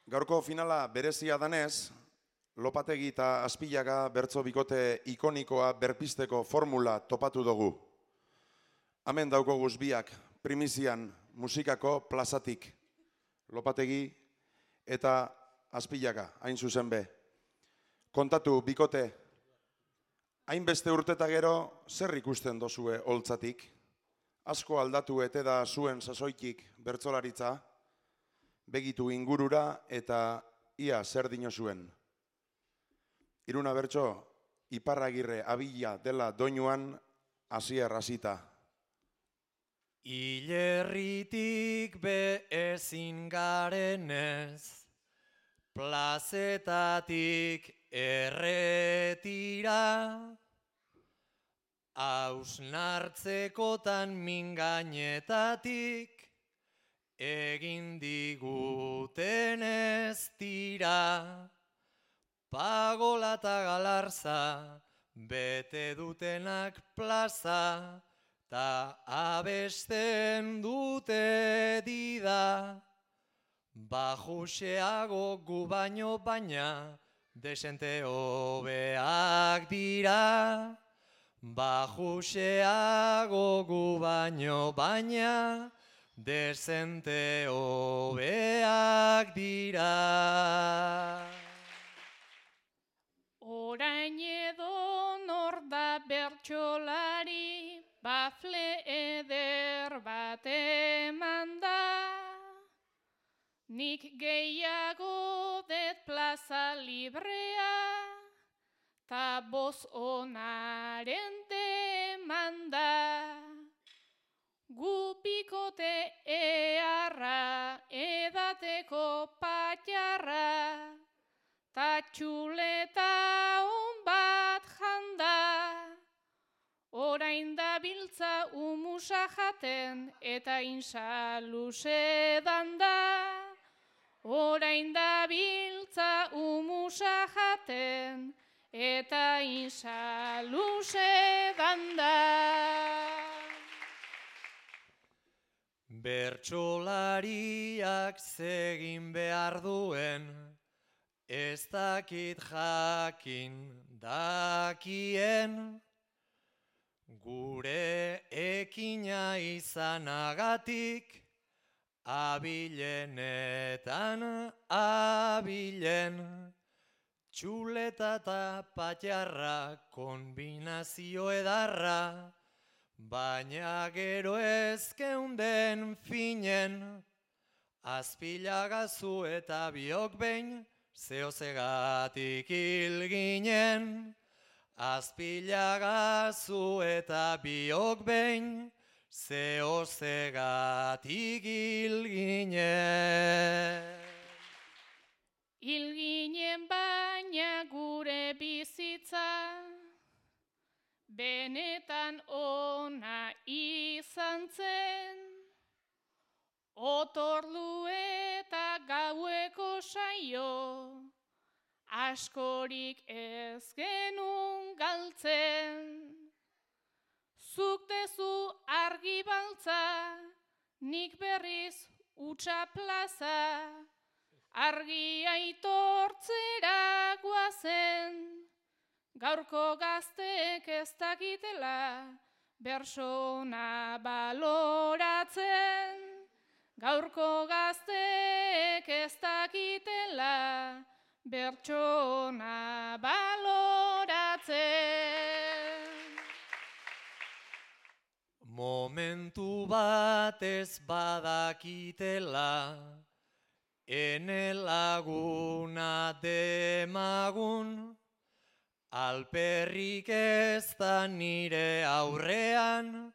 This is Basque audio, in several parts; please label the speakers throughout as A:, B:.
A: Gaurko finala berezia danez, Lopategi eta Aspillaga bertso bikote ikonikoa berpisteko formula topatu dugu. Hemen daukoguz biak primizian musikako plazatik. Lopategi eta Aspillaga, hain zuzen be. Kontatu bikote, hainbeste urteta gero zer ikusten dozue holtzatik? Asko aldatu ete da zuen sasoitik bertsolaritza, begitu ingurura eta ia zer dino zuen. Iruna bertso, Iparragirre abila dela doinuan hasier hasita.
B: Hilerritik be ezin garenez, plazetatik erretira, hausnartzekotan mingainetatik, egin diguten ez dira, pagola eta galarza, bete dutenak plaza, ta abesten dute dida, bajuxeago gu baino baina, desente hobeak dira, bajuxeago gu baino baina, desente hobeak dira.
C: Orain edo nor da bertsolari, bafle eder bat eman da. Nik gehiago det plaza librea, ta boz onaren demanda. Gu bikote eharra, edateko patjarra, ta txuleta on bat janda. Orain da biltza umusa jaten eta insaluse danda. Orain da biltza umusa jaten eta insaluse danda.
B: Bertsolariak zegin behar duen, ez dakit jakin dakien, gure ekina izanagatik, abilenetan abilen, txuleta eta patjarra kombinazio edarra, baina gero ez geunden finen, Azpillagazu eta biok behin, zehozegatik hil ginen. Azpillagazu eta biok behin, zehozegatik hil ginen.
C: Hil ginen baina gure bizitza, benetan ona izan zen. Otordu eta gaueko saio, askorik ez genuen galtzen. Zuk dezu argi baltza, nik berriz utxa plaza, argi aitortzera guazen. Gaurko gazteek ez dakitela, bersona baloratzen. Gaurko gazteek ez dakitela, bertsona baloratzen.
B: Momentu batez badakitela, ene laguna demagun, alperrik ez da nire aurrean,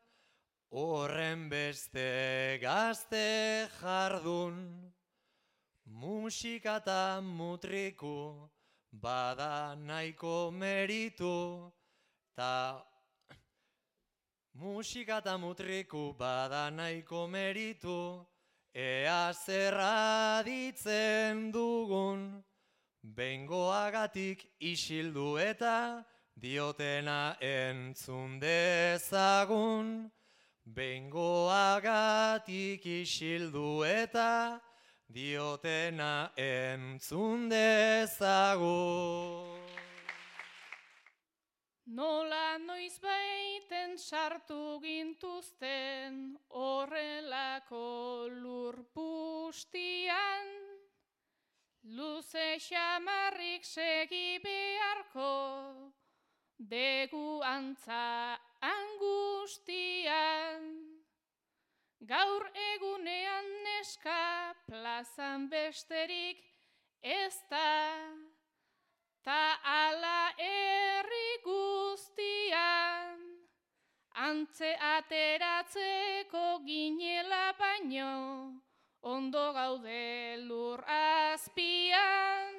B: horren beste gazte jardun. Musika eta mutriku bada nahiko meritu, musika eta mutriku bada nahiko meritu, ea zerra ditzen dugun, behingoagatik isildu eta diotena entzun dezagun. Behingoagatik isildu eta diotena entzun dezagun.
C: Nola noiz baiten sartu gintuzten horrelako lurpustian, luze xamarrik segi beharko degu antza angustian. Gaur egunean neska plazan besterik ez da, ta ala herri guztian, antze ateratzeko ginela baino, ondo gaude lur azpian.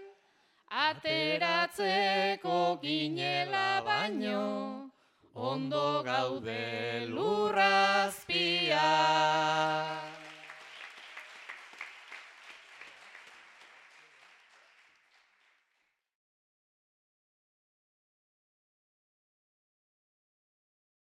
C: Ateratzeko ginela baino, ondo gaude lur azpian.